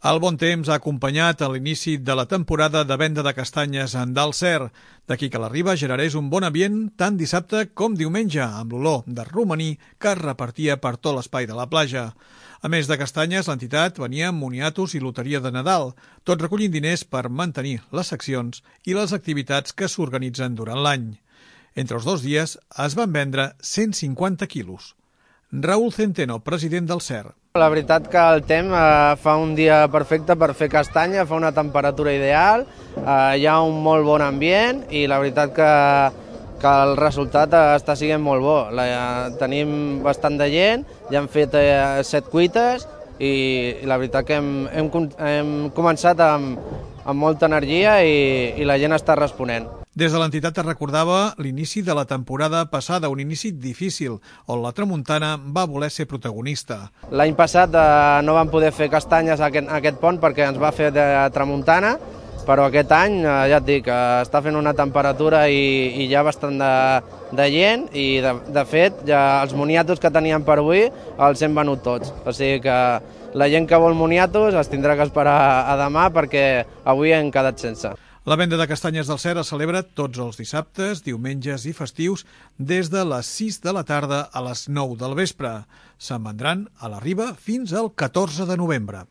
El bon temps ha acompanyat a l'inici de la temporada de venda de castanyes del Cer. D'aquí que la Riba generés un bon ambient tant dissabte com diumenge, amb l'olor de romaní que es repartia per tot l'espai de la platja. A més de castanyes, l'entitat venia amb moniatos i loteria de Nadal, tot recollint diners per mantenir les seccions i les activitats que s'organitzen durant l'any. Entre els 2 dies es van vendre 150 quilos. Raúl Centeno, president del Cer. La veritat que el temps fa un dia perfecte per fer castanya, fa una temperatura ideal, hi ha un molt bon ambient i la veritat que el resultat està sent molt bo. Tenim bastant de gent, ja hem fet 7 cuites i la veritat que hem començat amb molta energia i la gent està responent. Des de l'entitat es recordava l'inici de la temporada passada, un inici difícil, on la tramuntana va voler ser protagonista. L'any passat no vam poder fer castanyes a aquest pont perquè ens va fer de tramuntana, però aquest any, ja et dic, està fent una temperatura i hi ha bastant de gent i, de fet, ja els moniatos que teníem per avui els hem venut tots. O sigui que la gent que vol moniatos es tindrà que esperar a demà perquè avui hem quedat sense. La venda de castanyes del Cer es celebra tots els dissabtes, diumenges i festius des de les 6 de la tarda a les 9 del vespre. Se'n vendran a la Riba fins al 14 de novembre.